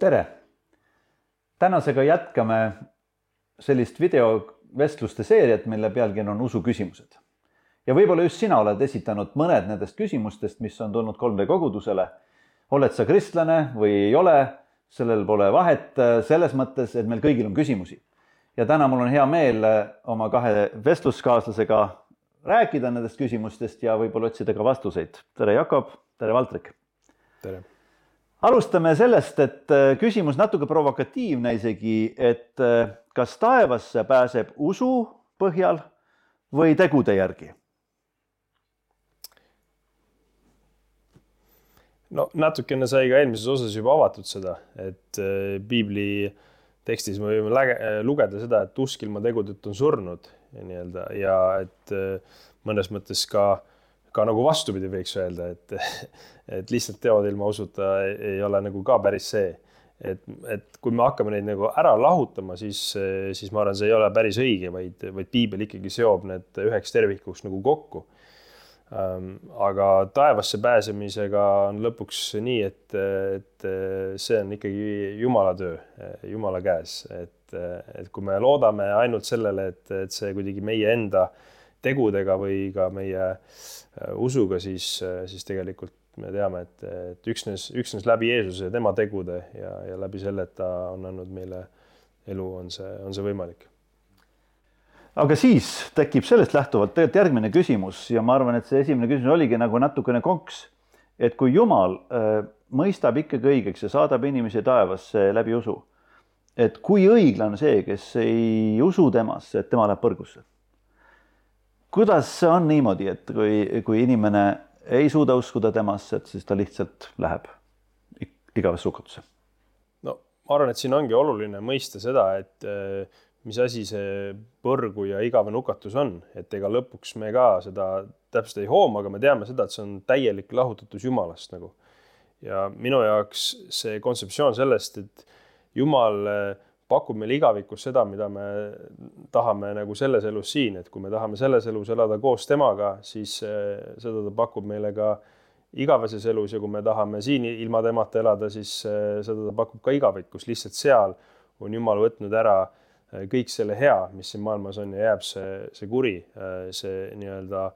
Tere! Tänasega jätkame sellist videovestluste seeriat, mille pealkiri on usuküsimused. Ja võib-olla just sina oled esitanud mõned nendest küsimustest, mis on tulnud 3D kogudusele. Oled sa kristlane või ei ole, sellel pole vahet selles mõttes, et meil kõigil on küsimusi. Ja täna mul on hea meel oma kahe vestluskaaslasega rääkida nendest küsimustest ja võib-olla otsida ka vastuseid. Tere Jakob, tere Valtrik! Tere! Alustame sellest, et küsimus natuke provokatiivne isegi, et kas taevasse pääseb usu põhjal või tegude järgi? No natukene sai ka eelmises osas juba avatud seda, et piibli tekstis me võime lugeda seda, et usk ilma tegudeta on surnud ja et mõnes mõttes ka nagu vastupidi võiks öelda, et lihtsalt teod ilma usuta ei ole nagu ka päris see. Et kui me hakkame neid nagu ära lahutama, siis ma arvan, see ei ole päris õige, vaid piibel ikkagi seob need üheks tervikuks nagu kokku. Aga taevasse pääsemisega on lõpuks nii, et see on ikkagi Jumala töö, Jumala käes. Et kui me loodame ainult sellele, et see kuidagi meie enda tegudega või ka meie usuga, siis tegelikult me teame, et üksnes läbi Jeesuse ja tema tegude ja läbi selle, et ta on andnud meile elu, on see võimalik. Aga siis tekib sellest lähtuvalt tegelikult järgmine küsimus ja ma arvan, et see esimene küsimus oligi nagu natukene konks, et kui Jumal mõistab ikkagi õigeks ja saadab inimesi taevasse läbi usu, et kui õiglane see, kes ei usu temasse, et tema läheb põrgusse. Kuidas see on niimoodi, et kui inimene ei suuda uskuda temasse, et siis ta lihtsalt läheb igavesse hukatusse? No, ma arvan, et siin ongi oluline mõista seda, et mis asi see põrgu ja igavene hukatus on. Et ega lõpuks me ka seda täpselt ei hooma, aga me teame seda, et see on täielik lahutatus Jumalast. Nagu. Ja minu jaoks see kontseptsioon sellest, et Jumal pakub meile igavikus seda, mida me tahame nagu selles elus siin, et kui me tahame selles elus elada koos temaga, siis seda ta pakub meile ka igaveses elus ja kui me tahame siin ilma temata elada, siis seda ta pakub ka igavikus. Lihtsalt seal on Jumal võtnud ära kõik selle hea, mis siin maailmas on ja jääb see kuri, see nii-öelda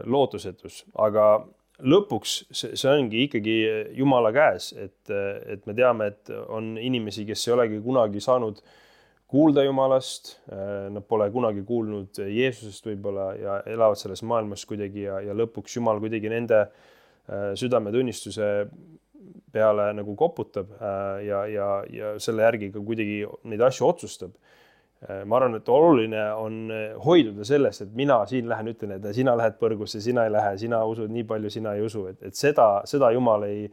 lootusetus. Aga lõpuks see ongi ikkagi Jumala käes, et me teame, et on inimesi, kes ei olegi kunagi saanud kuulda Jumalast, nad pole kunagi kuulnud Jeesusest võib-olla ja elavad selles maailmas kuidagi ja lõpuks Jumal kuidagi nende südametunnistuse peale nagu koputab ja selle järgi ka kuidagi neid asju otsustab. Ma arvan, et oluline on hoiduda sellest, et mina siin lähen ütlen, et sina lähed põrgusse, sina ei lähe, sina usud nii palju, sina ei usu. Et seda Jumal ei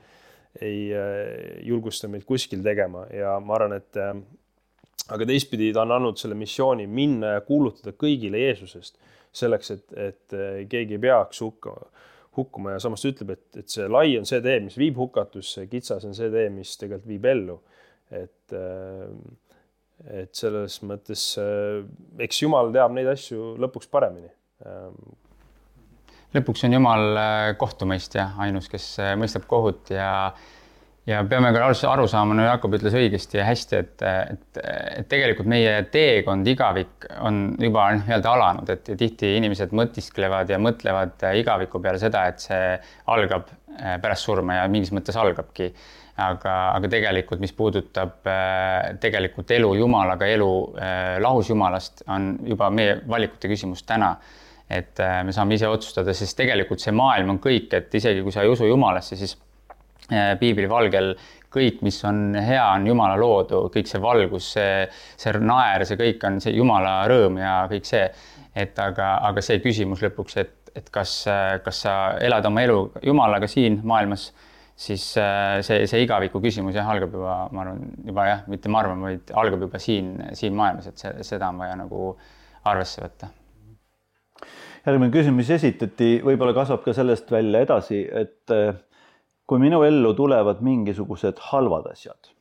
julgusta meid kuskil tegema ja ma arvan, et aga teistpidi ta on andnud selle missiooni minna ja kuulutada kõigile Jeesusest selleks, et keegi ei peaks hukkuma ja samas ütleb, et see lai on see tee, mis viib hukatusse, kitsas on see tee, mis tegelikult viib ellu. Et selles mõttes, eks Jumal teab neid asju lõpuks paremini. Lõpuks on Jumal kohtumõistja, ainus, kes mõistab kohut ja peame ka aru saama, no Jakob ütles õigesti ja hästi, et tegelikult meie teekond igavik on juba nii-öelda alanud, et tihti inimesed mõtisklevad ja mõtlevad igaviku peale seda, et see algab pärast surma ja mingis mõttes algabki. Aga tegelikult, mis puudutab tegelikult elu Jumalaga, elu lahus Jumalast, on juba meie valikute küsimus täna. Et me saame ise otsustada, sest tegelikult see maailm on kõik, et isegi kui sa ei usu Jumalasse, siis piibli valgel kõik, mis on hea, on Jumala loodu, kõik see valgus, see naer, see kõik on see Jumala rõõm ja kõik see. Aga see küsimus lõpuks, et kas sa elad oma elu Jumalaga siin maailmas, siis see igaviku küsimus algab juba, ma arvan, mitte ma arvan, vaid algab juba siin maailmas, et seda on vaja nagu arvesse võtta. Järgmine küsimus esitati, võib-olla kasvab ka sellest välja edasi, et kui minu ellu tulevad mingisugused halvad asjad,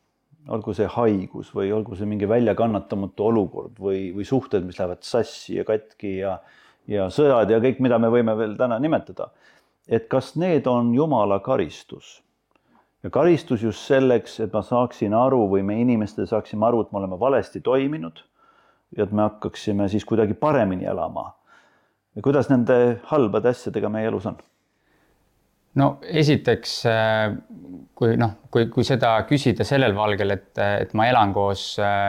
olgu see haigus või olgu see mingi väljakannatamatu olukord või suhted, mis lähevad sassi ja katki ja sõjad ja kõik, mida me võime veel täna nimetada, et kas need on Jumala karistus ja karistus just selleks, et ma saaksin aru või me inimestel saaksime aru, et me oleme valesti toiminud ja et me hakkaksime siis kuidagi paremini elama. Ja kuidas nende halbade asjadega meie elus on? No esiteks, kui seda küsida sellel valgel, et ma elan koos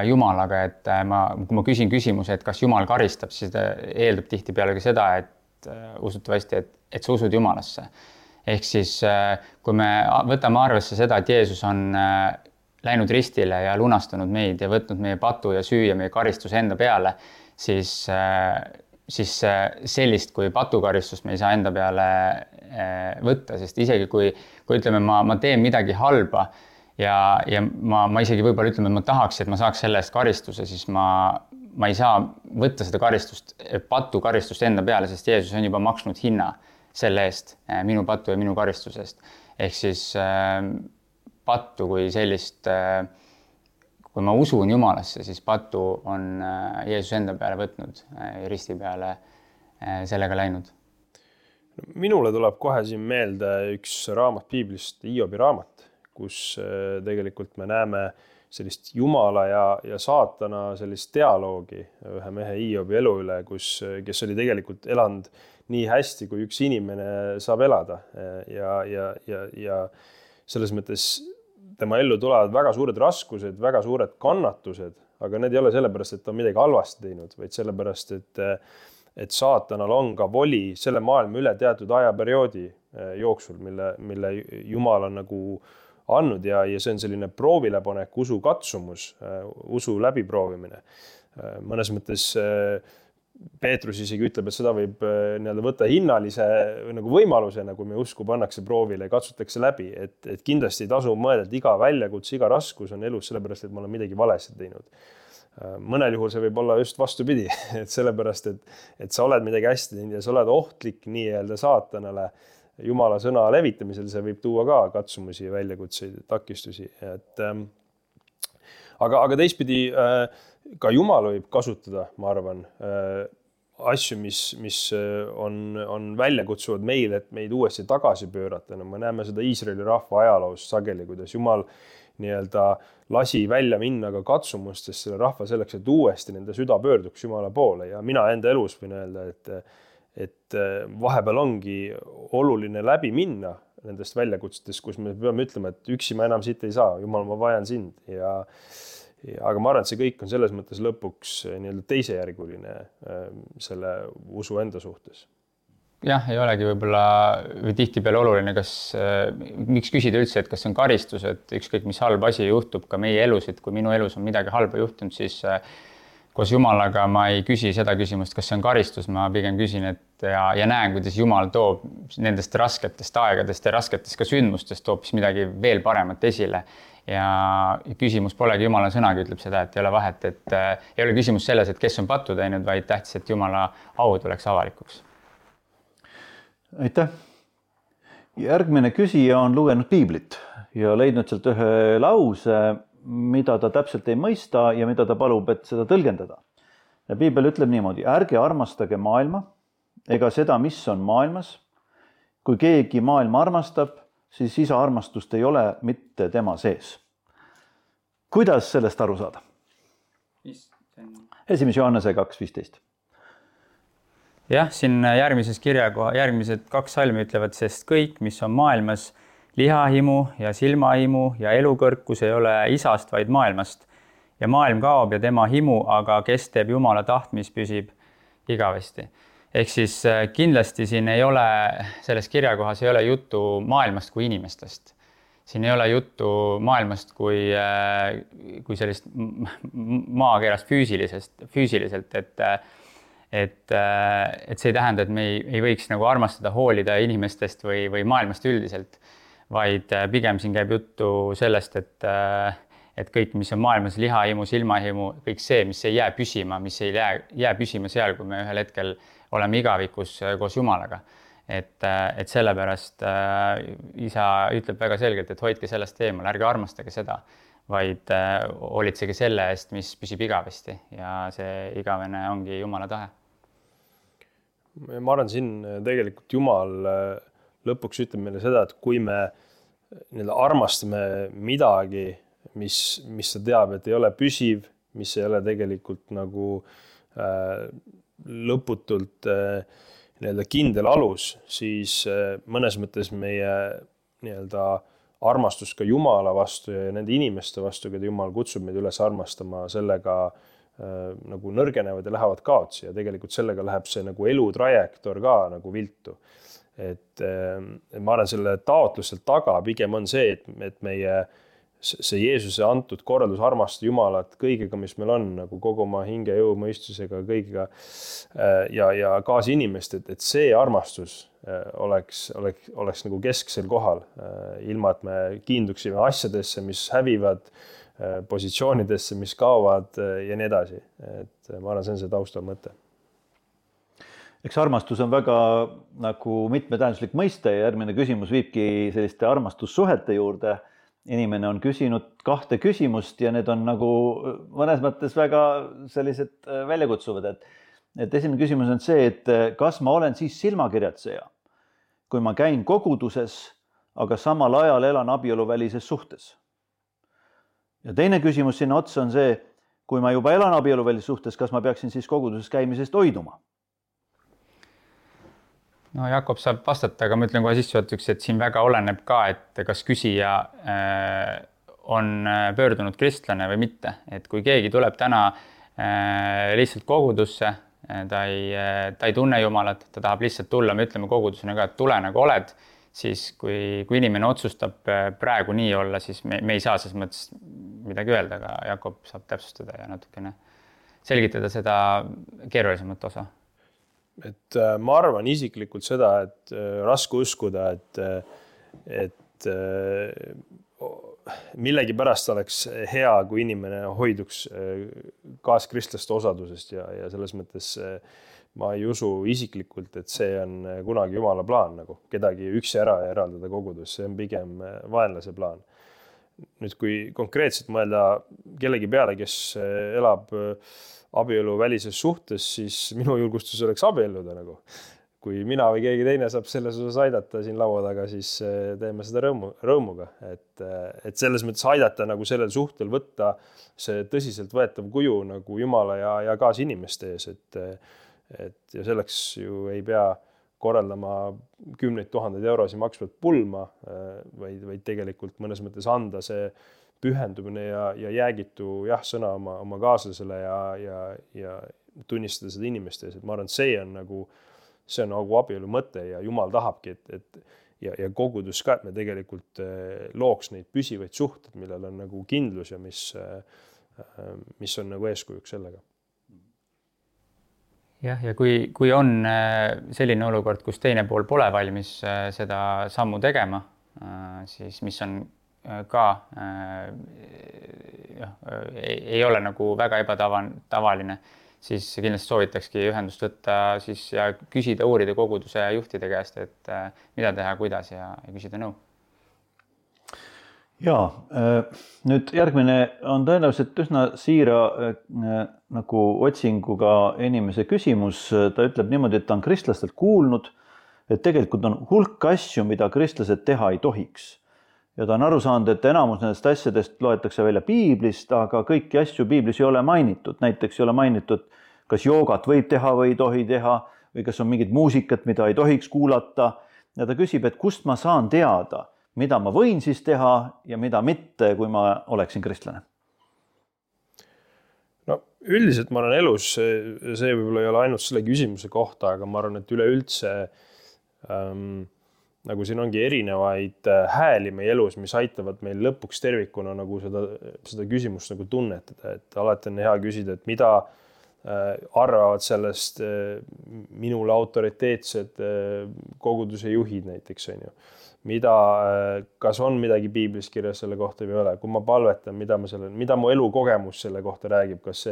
Jumalaga, et kui ma küsin küsimuse, et kas Jumal karistab, siis eeldab tihtipeale ka seda, et usutavasti, et sa usud Jumalasse. Ehk siis, kui me võtame arvesse seda, et Jeesus on läinud ristile ja lunastanud meid ja võtnud meie patu ja süü ja meie karistuse enda peale, siis sellist kui patukaristust me ei saa enda peale võtta, sest isegi kui ütleme, ma teen midagi halba ja ma isegi võib-olla ütleme, et ma tahaks, et ma saaks selle eest karistuse, siis ma ei saa võtta seda patukaristust enda peale, sest Jeesus on juba maksnud hinna selle eest, minu patu ja minu karistusest. Ehk siis pattu kui sellist, kui ma usun Jumalasse, siis patu on Jeesus enda peale võtnud ja risti peale sellega läinud. Minule tuleb kohe siin meelde üks raamat Piiblist, Hiobi raamat, kus tegelikult me näeme sellist Jumala ja saatana sellist dialoogi ühe mehe Hiobi elu üle, kes oli tegelikult elanud nii hästi, kui üks inimene saab elada ja selles mõttes tema ellu tulevad väga suured raskused, väga suured kannatused, aga need ei ole sellepärast, et ta on midagi halvasti teinud, vaid sellepärast, et saatanal on ka voli selle maailma üle teatud ajaperioodi jooksul, mille Jumal on nagu andnud ja see on selline proovilepanek, usu katsumus, usu läbiproovimine. Mõnes mõttes Peetrus isegi ütleb, et seda võib võtta hinnalise nagu võimalusena, kui me usku pannakse proovile ja katsutakse läbi, et kindlasti ei tasu mõelda, et iga väljakutse, iga raskus on elus sellepärast, et ma olen midagi valesti teinud. Mõnel juhul see võib olla just vastupidi, et sellepärast, et sa oled midagi hästi teinud ja sa oled ohtlik nii-öelda saatanale Jumala sõna levitamisel, see võib tuua ka katsumusi, väljakutseid, takistusi. Aga teistpidi ka Jumal võib kasutada, ma arvan, asju, mis on väljakutsuvad meil, et meid uuesti tagasi pöörata. No, me näeme seda Iisraeli rahva ajaloos sageli, kuidas Jumal nii-öelda lasi välja minna ka katsumustest selle rahva selleks, et uuesti nende süda pöörduks Jumala poole. Ja mina enda elus võin öelda, et vahepeal ongi oluline läbi minna nendest väljakutsetest, kus me peame ütlema, et üksi ma enam siit ei saa, Jumal, ma vajan sind. Aga ma arvan, et see kõik on selles mõttes lõpuks nii-öelda teisejärguline selle usu enda suhtes. Jah, ei olegi võib-olla või tihtipeale oluline, miks küsida üldse, et kas see on karistus, et ükskõik mis halb asi juhtub ka meie elus, et kui minu elus on midagi halba juhtunud, siis koos Jumalaga ma ei küsi seda küsimust, kas see on karistus, ma pigem küsin, ja näen, kuidas Jumal toob nendest rasketest aegadest ja rasketest ka sündmustest hoopis midagi veel paremat esile. Ja küsimus polegi Jumala sõnagi ütleb seda, et ei ole vahet, et ei ole küsimus selles, et kes on pattu teinud, vaid tähtis, et Jumala au tuleks avalikuks. Aitäh. Järgmine küsija on lugenud Piiblit ja leidnud sealt ühe lause, mida ta täpselt ei mõista ja mida ta palub, et seda tõlgendada. Ja Piibel ütleb niimoodi, ärge armastage maailma ega seda, mis on maailmas. Kui keegi maailma armastab, siis isa armastust ei ole mitte tema sees. Kuidas sellest aru saada? 1. Johannese 2.15. Jah, siin järgmised 2 salmi ütlevad, sest kõik, mis on maailmas, lihahimu ja silmahimu ja elukõrkus ei ole isast, vaid maailmast. Ja maailm kaob ja tema himu, aga kes teeb Jumala tahtmist, püsib igavesti. Ehk siis kindlasti siin ei ole, selles kirjakohas ei ole juttu maailmast kui inimestest. Siin ei ole juttu maailmast kui sellist maakerast füüsiliselt, et see ei tähenda, et me ei võiks nagu armastada, hoolida inimestest või maailmast üldiselt, vaid pigem siin käib juttu sellest, et kõik, mis on maailmas, lihahimu, silmahimu, kõik see, mis ei jää püsima, mis ei jää püsima seal, kui me ühel hetkel oleme igavikus koos Jumalaga. Et sellepärast isa ütleb väga selgelt, et hoidke sellest eemal, ärge armastage seda, vaid hoolitsege selle eest, mis püsib igavesti ja see igavene ongi Jumala tahe. Ma arvan, siin tegelikult Jumal lõpuks ütleb meile seda, et kui me armastame midagi, mis ta teab, et ei ole püsiv, mis ei ole tegelikult nagu lõputult nii-öelda kindel alus, siis mõnes mõttes meie nii-öelda armastus ka Jumala vastu ja nende inimeste vastu, keda Jumal kutsub meid üles armastama, sellega nagu nõrgenevad ja lähevad kaotsi ja tegelikult sellega läheb see nagu elutrajektoor ka nagu viltu. Et ma arvan, selle taotlusel taga pigem on see, et meie see Jeesuse antud korraldus armastada Jumalat kõigega, mis meil on, nagu kogu oma hinge, jõu, mõistusega, kõigiga ja kaasinimest, et see armastus oleks nagu kesksel kohal, ilma et me kiinduksime asjadesse, mis hävivad, positsioonidesse, mis kaovad ja nii edasi. Et ma arvan, see on see taustal mõte. Eks armastus on väga nagu mitmetähenduslik mõiste ja järgmine küsimus viibki selliste armastussuhete juurde. Inimene on küsinud 2 küsimust ja need on nagu mõnes mõttes väga sellised väljakutsuvad. Et esimene küsimus on see, et kas ma olen siis silmakirjatseja, kui ma käin koguduses, aga samal ajal elan abieluvälises suhtes. Ja teine küsimus sinna otsa on see, kui ma juba elan abieluvälises suhtes, kas ma peaksin siis koguduses käimisest hoiduma? No Jakob saab vastata, aga ma ütlen kohe sissejuhatuseks, et siin väga oleneb ka, et kas küsija on pöördunud kristlane või mitte. Et kui keegi tuleb täna lihtsalt kogudusse, ta ei tunne Jumalat, ta tahab lihtsalt tulla, me ütleme kogudusena ka, et tule nagu oled, siis kui inimene otsustab praegu nii olla, siis me ei saa selles mõttes midagi öelda, aga Jakob saab täpsustada ja natukene selgitada seda keerulisemat osa. Et ma arvan isiklikult seda, et raske uskuda, et millegi pärast oleks hea, kui inimene hoiduks kaaskristlaste osadusest ja selles mõttes ma ei usu isiklikult, et see on kunagi Jumala plaan, nagu kedagi üksi ära ja eraldada kogudus, see on pigem vaenlase plaan. Nüüd, kui konkreetselt mõelda kellegi peale, kes elab abielu välises suhtes, siis minu julgustus oleks abielluda nagu. Kui mina või keegi teine saab selles osas aidata siin laua taga, siis teeme seda rõõmuga. Et selles mõttes aidata nagu sellel suhtel võtta see tõsiselt võetav kuju nagu Jumala ja kaasinimeste ees. Ja selleks ju ei pea korraldama 10 000 eurosid maksvat pulma, vaid tegelikult mõnes mõttes anda see pühendumine ja jäägitu sõna oma kaaslasele ja tunnistada seda inimeste ees. Et ma arvan, et see on nagu abielu mõte ja Jumal tahabki, ja kogudus ka, et me tegelikult looks neid püsivaid suhted, millel on nagu kindlus ja mis on nagu eeskujuks sellega. Jah, ja kui on selline olukord, kus teine pool pole valmis seda sammu tegema, siis mis on ka ei ole nagu väga ebatavaline, siis kindlasti soovitakski ühendust võtta siis ja küsida, uurida koguduse juhtide käest, et mida teha, kuidas ja küsida nõu. Jaa, nüüd järgmine on tõenäoliselt üsna siira nagu otsinguga inimese küsimus. Ta ütleb niimoodi, et ta on kristlastelt kuulnud, et tegelikult on hulk asju, mida kristlased teha ei tohiks. Ja ta on aru saanud, et enamus nendest asjadest loetakse välja piiblist, aga kõiki asju piiblis ei ole mainitud. Näiteks ei ole mainitud, kas joogat võib teha või ei tohi teha või kas on mingit muusikat, mida ei tohiks kuulata. Ja ta küsib, et kust ma saan teada, mida ma võin siis teha ja mida mitte, kui ma oleksin kristlane? No üldiselt ma arvan elus, see võib-olla ei ole ainult selle küsimuse kohta, aga ma arvan, et üleüldse nagu siin ongi erinevaid hääli meie elus, mis aitavad meil lõpuks tervikuna nagu seda küsimust nagu tunnetada, et alati on hea küsida, et mida arvavad sellest minule autoriteetsed koguduse juhid näiteks, on ju. Kas on midagi piiblis kirjas selle kohta või ei ole, kui ma palvetan, mida mu elukogemus selle kohta räägib, kas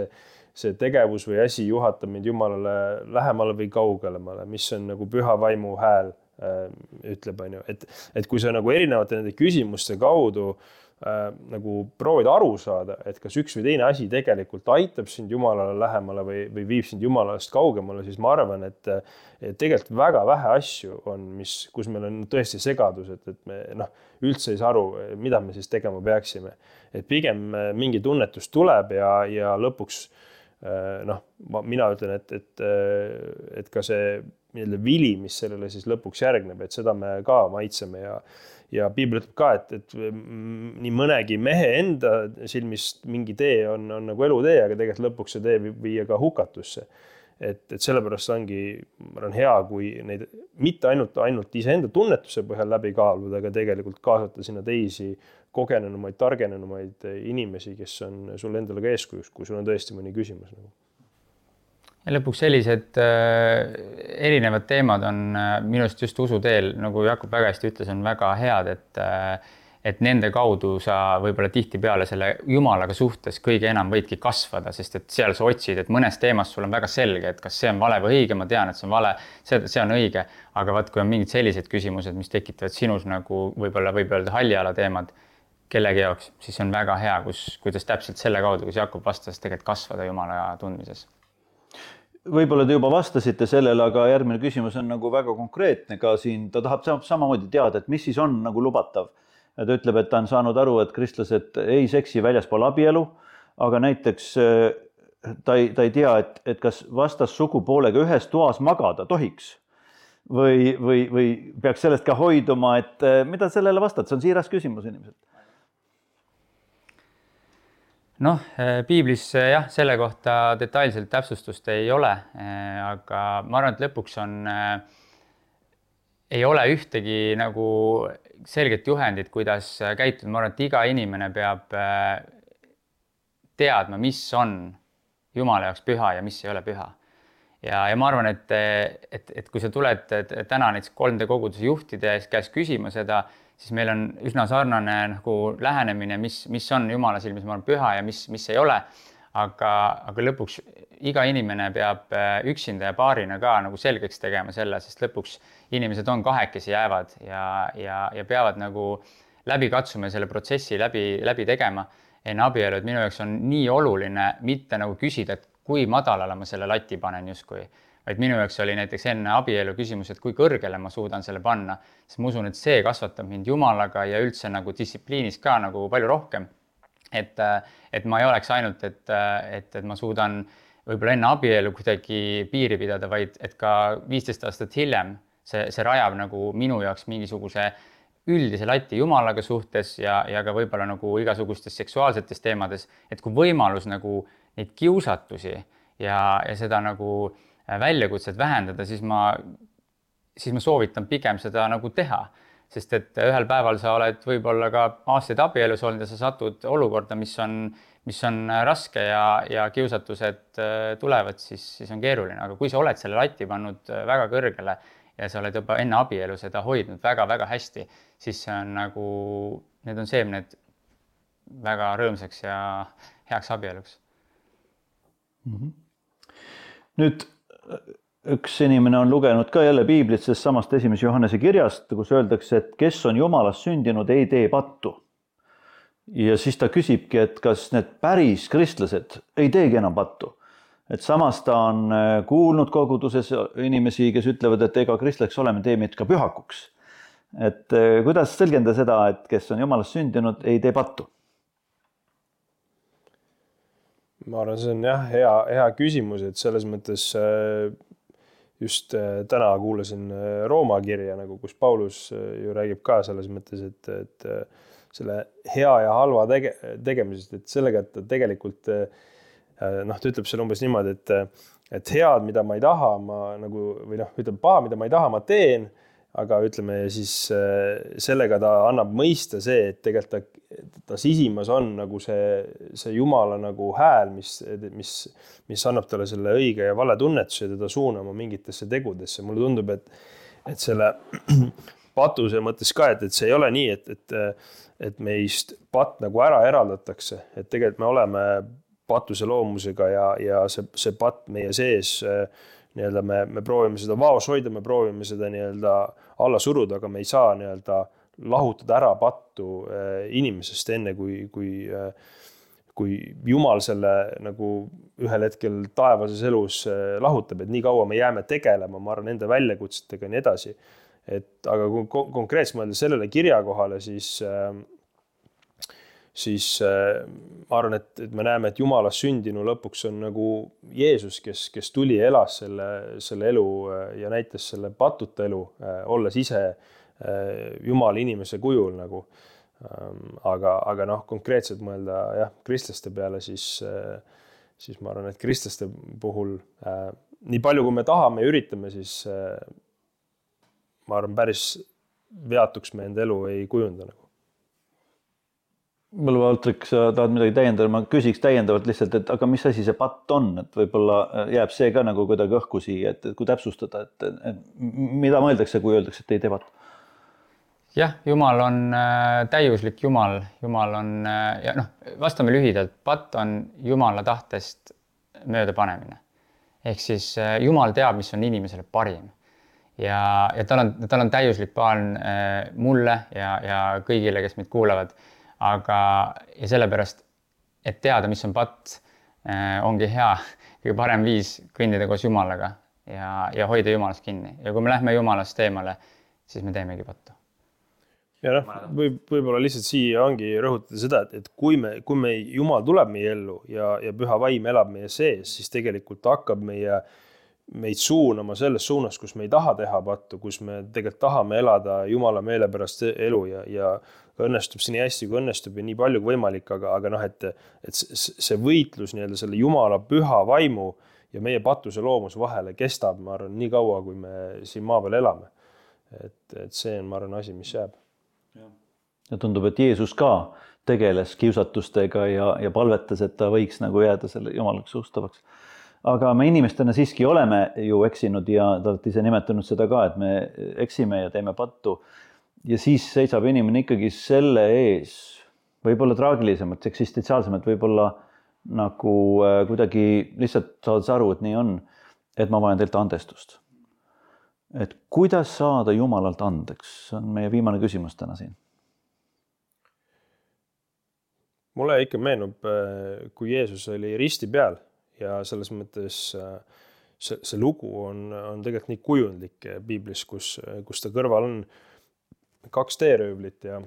see tegevus või asi juhatab mind Jumalale lähemale või kaugelemale, mis on nagu püha vaimu hääl ütleb, on ju, et kui sa nagu erinevate nende küsimuste kaudu nagu proovid aru saada, et kas üks või teine asi tegelikult aitab sind Jumalale lähemale või viib sind Jumalast kaugemale, siis ma arvan, et tegelikult väga vähe asju on, kus meil on tõesti segadus, et me üldse ei saa aru, mida me siis tegema peaksime. Et pigem mingi tunnetus tuleb ja lõpuks mina ütlen, et ka see vili, mis sellele siis lõpuks järgneb, et seda me ka maitseme ja Piibel ütleb ka, et nii mõnegi mehe enda silmist mingi tee on nagu elutee, aga tegelikult lõpuks see tee viia ka hukatusse. Et sellepärast ongi hea, kui neid mitte ainult iseenda tunnetuse põhjal läbi kaaluda, aga tegelikult kaasata sinna teisi kogenenumaid, targenenumaid inimesi, kes on sul endale ka eeskujuks, kui sul on tõesti mõni küsimus. Ja lõpuks sellised erinevad teemad on minust just usuteel, nagu Jakob väga hästi ütles, on väga head, et nende kaudu sa võib-olla tihtipeale selle Jumalaga suhtes kõige enam võidki kasvada, sest et seal sa otsid, et mõnes teemas sul on väga selge, et kas see on vale või õige, ma tean, et see on vale, see on õige, aga vaat kui on mingid sellised küsimused, mis tekitavad sinus nagu võib öelda halliala teemad kellegi jaoks, siis on väga hea, kuidas täpselt selle kaudu, kus Jakob vastas, tegelikult kasvada Jumala tundmises. Võib-olla te juba vastasite sellele, aga järgmine küsimus on nagu väga konkreetne ka siin, ta tahab samamoodi teada, et mis siis on nagu lubatav. Ta ütleb, et ta on saanud aru, et kristlased ei seksi väljaspool abielu, aga näiteks ta ei tea, et kas vastas sugupoolega ühes toas magada tohiks või peaks sellest ka hoiduma, et mida sellele vastad? See on siiras küsimus inimeselt. Piiblis jah, selle kohta detailselt täpsustust ei ole, aga ma arvan, et lõpuks ei ole ühtegi nagu selget juhendit, kuidas käituda. Ma arvan, et iga inimene peab teadma, mis on Jumala jaoks püha ja mis ei ole püha. Ja ma arvan, et kui sa tuled täna näiteks 3D koguduse juhtide käest küsima seda, siis meil on üsna sarnane nagu lähenemine, mis on Jumala silmis, ma arvan, püha ja mis ei ole. Aga lõpuks iga inimene peab üksinda ja paarina ka nagu selgeks tegema selle, sest lõpuks inimesed on kahekesi jäävad ja peavad nagu läbi katsuma selle protsessi läbi tegema enne abielu. Et minu jaoks on nii oluline mitte nagu küsida, et kui madalale ma selle lati panen justkui, vaid minu jaoks oli näiteks enne abielu küsimus, et kui kõrgele ma suudan selle panna, sest ma usun, et see kasvatab mind Jumalaga ja üldse nagu distsipliinis ka nagu palju rohkem. Et ma ei oleks ainult, et ma suudan võib-olla enne abielu kuidagi piiri pidada, vaid et ka 15 aastat hiljem see rajab nagu minu jaoks mingisuguse üldise lati Jumalaga suhtes ja ka võib-olla nagu igasugustes seksuaalsetes teemades, et kui võimalus nagu neid kiusatusi ja seda nagu väljakutset vähendada, siis ma soovitan pigem seda nagu teha. Sest et ühel päeval sa oled võib-olla ka aastaid abielus olnud ja sa satud olukorda, mis on raske ja kiusatused tulevad, siis on keeruline. Aga kui sa oled selle lati pannud väga kõrgele ja sa oled juba enne abielu seda hoidnud väga-väga hästi, siis see on nagu, need on seemned väga rõõmsaks ja heaks abieluks. Nüüd üks inimene on lugenud ka jälle Piiblit sellest samast 1. Johannese kirjast, kus öeldakse, et kes on Jumalast sündinud, ei tee pattu. Ja siis ta küsibki, et kas need päris kristlased ei teegi enam pattu. Et samas ta on kuulnud koguduses inimesi, kes ütlevad, et ega kristlaks oleme, tee meid ka pühakuks. Et kuidas selgenda seda, et kes on Jumalast sündinud, ei tee pattu? Ma arvan, see on jah, hea küsimus, et selles mõttes just täna kuulasin Rooma kirja, nagu kus Paulus ju räägib ka selles mõttes, et selle hea ja halva tegemisest, et sellega, et ta tegelikult ta ütleb selle umbes niimoodi, et head, mida ma ei taha, ütleb paha, mida ma ei taha, ma teen, aga ütleme siis sellega ta annab mõista see, et tegelikult ta sisimas on nagu see Jumala nagu hääl, mis annab talle selle õige ja vale tunnetuse ja teda suunama mingitesse tegudesse. Mulle tundub, et selle patuse mõttes ka, et see ei ole nii, et meist patt nagu ära eraldatakse, et tegelikult me oleme patuse loomusega ja see patt meie sees, me proovime seda vaos hoida, me proovime seda alla suruda, aga me ei saa nii-öelda lahutada ära pattu inimesest enne, kui Jumal selle nagu ühel hetkel taevases elus lahutab, et nii kaua me jääme tegelema, ma arvan, nende väljakutsetega ja nii edasi. Aga kui konkreetselt mõelda sellele kirjakohale, siis ma arvan, et me näeme, et Jumalas sündinu lõpuks on nagu Jeesus, kes tuli ja elas selle elu ja näitas selle patuta elu, olles ise Jumala inimese kujul nagu. Aga konkreetselt mõelda kristlaste peale, siis ma arvan, et kristlaste puhul nii palju, kui me tahame ja üritame, siis ma arvan, päris veatuks me enda elu ei kujunda nagu. Mõle Valtrik, sa tahad midagi täiendada, ma küsiks täiendavalt lihtsalt, et aga mis asi see patt on, et võib-olla jääb see ka nagu kuidagi õhku siia, et kui täpsustada, et mida mõeldakse, kui öeldakse, et ei tee patt? Jah, Jumal on täiuslik Jumal. Jumal on, ja vastame lühidalt, patt on Jumala tahtest mööda panemine. Ehk siis Jumal teab, mis on inimesele parim. Ja tal on täiuslik plaan mulle ja kõigile, kes meid kuulavad. Ja sellepärast, et teada, mis on patt, ongi hea, kõige parem viis kõndida koos Jumalaga ja hoida Jumalast kinni. Ja kui me lähme Jumalast eemale, siis me teemegi pattu. Ja võib-olla lihtsalt siia ongi rõhutada seda, et kui me Jumal tuleb meie ellu ja püha vaim elab meie sees, siis tegelikult hakkab meid suunama selles suunas, kus me ei taha teha pattu, kus me tegelikult tahame elada Jumala meele pärast elu ja õnnestub see nii hästi, kui õnnestub ja nii palju kui võimalik, aga et see võitlus nii-öelda selle Jumala püha vaimu ja meie patuse loomuse vahele kestab, ma arvan, nii kaua, kui me siin maa peal elame. Et see on, ma arvan, asi, mis jääb. Ja tundub, et Jeesus ka tegeles kiusatustega ja palvetas, et ta võiks nagu jääda selle Jumalaks ustavaks. Aga me inimestena siiski oleme ju eksinud ja te olete ise nimetanud seda ka, et me eksime ja teeme pattu. Ja siis seisab inimene ikkagi selle ees, võib-olla traagilisemalt, eksistentsiaalsemalt, võib-olla nagu kuidagi lihtsalt saades aru, et nii on, et ma vajan teilt andestust. Et kuidas saada Jumalalt andeks? See on meie viimane küsimus täna siin. Mulle ikka meenub, kui Jeesus oli risti peal ja selles mõttes see lugu on tegelikult nii kujundlik Piiblis, kus ta kõrval on 2 teeröövlit ja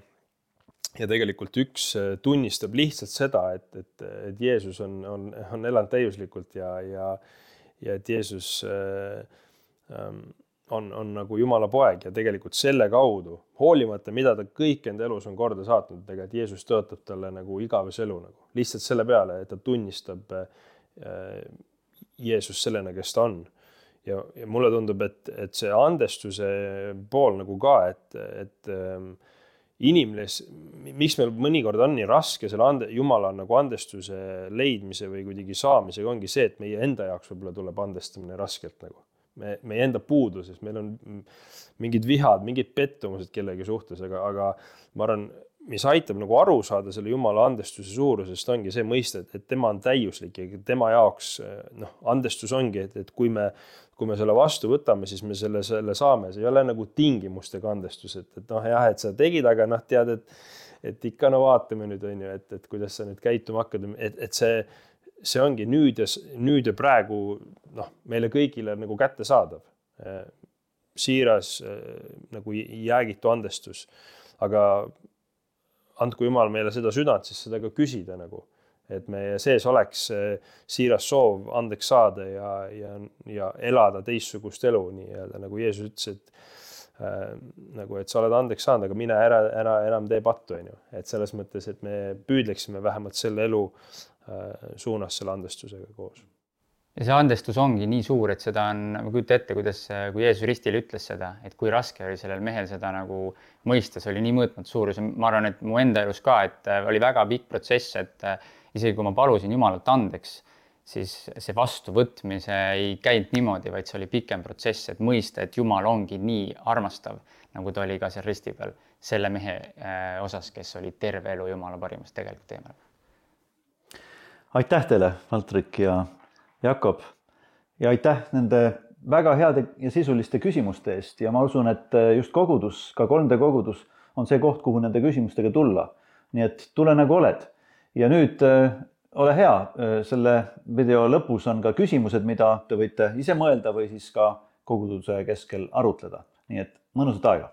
tegelikult üks tunnistab lihtsalt seda, et Jeesus on elanud täiuslikult ja et Jeesus on nagu Jumala poeg ja tegelikult selle kaudu, hoolimata, mida ta kõik enda elus on korda saatnud, tegelikult Jeesus tõotab talle nagu igavese elu nagu. Lihtsalt selle peale, et ta tunnistab Jeesus sellena, kes ta on. Ja mulle tundub, et see andestuse pool nagu ka, et inimles, miks meil mõnikord on nii raske selle Jumala nagu andestuse leidmise või kuidagi saamisega ongi see, et meie enda jaoks võib-olla tuleb andestamine raskelt nagu. Meie enda puuduses, meil on mingid vihad, mingid pettumused kellegi suhtes, aga ma arvan, mis aitab nagu aru saada selle Jumala andestuse suurusest, ongi see mõiste, et tema on täiuslik ja tema jaoks andestus ongi, et kui me selle vastu võtame, siis me selle saame. See ei ole nagu tingimustega andestus, et sa tegid, aga tead, et ikka vaatame nüüd, et kuidas sa nüüd käituma hakkad, et see ongi nüüd ja praegu meile kõigile nagu kätte saadav. Siiras nagu jäägitu andestus. Aga andku Jumal meile seda südant, siis seda ka küsida nagu. Et meie sees oleks siiras soov andeks saada ja elada teistsugust elu, nii nagu Jeesus ütles, et sa oled andeks saanud, aga mine ära enam tee pattu. Et selles mõttes, et me püüdleksime vähemalt selle elu suunas selle andestusega koos. Ja see andestus ongi nii suur, et seda on, ma kujuta ette, kui Jeesus ristil ütles seda, et kui raske oli sellel mehel seda nagu mõista, see oli nii mõõtmatu suurus. Ma arvan, et mu enda elus ka, et oli väga pikk protsess, et isegi kui ma palusin Jumalalt andeks, siis see vastuvõtmise ei käinud niimoodi, vaid see oli pikem protsess, et mõista, et Jumal ongi nii armastav, nagu ta oli ka seal risti peal selle mehe osas, kes oli terve elu Jumala parimast tegelikult teemal. Aitäh teile, Valtrik ja Jakob. Ja aitäh nende väga heade ja sisuliste küsimuste eest ja ma usun, et just kogudus, ka 3D kogudus on see koht, kuhu nende küsimustega tulla. Nii et tule nagu oled. Ja nüüd ole hea, selle video lõpus on ka küsimused, mida te võite ise mõelda või siis ka koguduse keskel arutleda. Nii et mõnusat aega!